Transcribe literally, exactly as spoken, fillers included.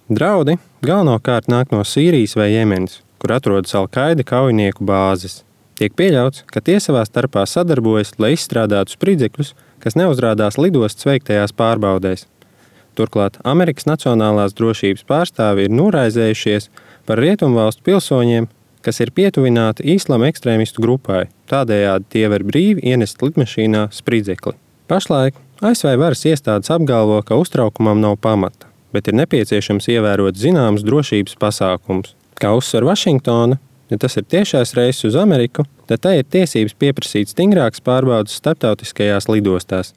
Draudi galvenokārt nāk no Sīrijas vai Jemenas, kur atrodas Al-Qaida kaujinieku bāzes. Tiek pieļauts, ka tie savā starpā sadarbojas, lai izstrādātu spridzekļus, kas neuzrādās lidostas veiktajās pārbaudēs. Turklāt Amerikas Nacionālās drošības pārstāvi ir noraizējušies par rietumvalstu pilsoņiem, kas ir pietuvināti īslama ekstrēmistu grupai, tādējādi tie var brīvi ienest lidmašīnā spridzekli. Pašlaik A S V varas iestādes apgalvo, ka uztraukumam nav pamata, bet ir nepieciešams ievērot zināmus drošības pasākumus. Kā uzsver Vašingtona, ja tas ir tiešais reiss uz Ameriku, tad tai ir tiesības pieprasīt stingrākas pārbaudes starptautiskajās lidostās.